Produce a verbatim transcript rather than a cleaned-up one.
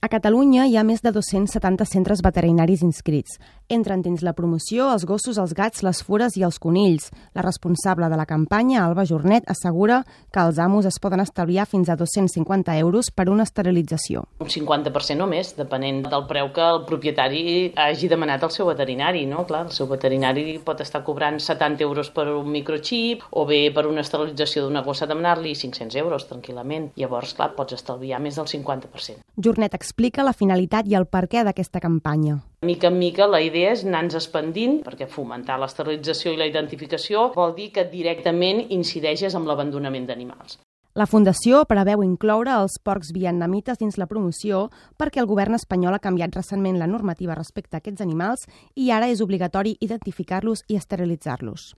A Catalunya hi ha més de dos-cents setanta centres veterinaris inscrits. Entren dins la promoció els gossos, els gats, les fures i els conills. La responsable de la campanya, Alba Jornet, assegura que els amos es poden estalviar fins a dos-cents cinquanta euros per una esterilització. Un cinquanta per cent o més, depenent del preu que el propietari hagi demanat al seu veterinari. No? Clar, el seu veterinari pot estar cobrant setanta euros per un microxip o bé per una esterilització d'una gossa demanar-li cinc-cents euros tranquil·lament. Llavors, clar, pots estalviar més del cinquanta per cent. Jornet explica la finalitat i el perquè d'aquesta campanya. Mica en mica la idea és anar-nos expandint, perquè fomentar l'esterilització i la identificació vol dir que directament incideixes amb l'abandonament d'animals. La Fundació preveu incloure els porcs vietnamites dins la promoció perquè el govern espanyol ha canviat recentment la normativa respecte a aquests animals i ara és obligatori identificar-los i esterilitzar-los.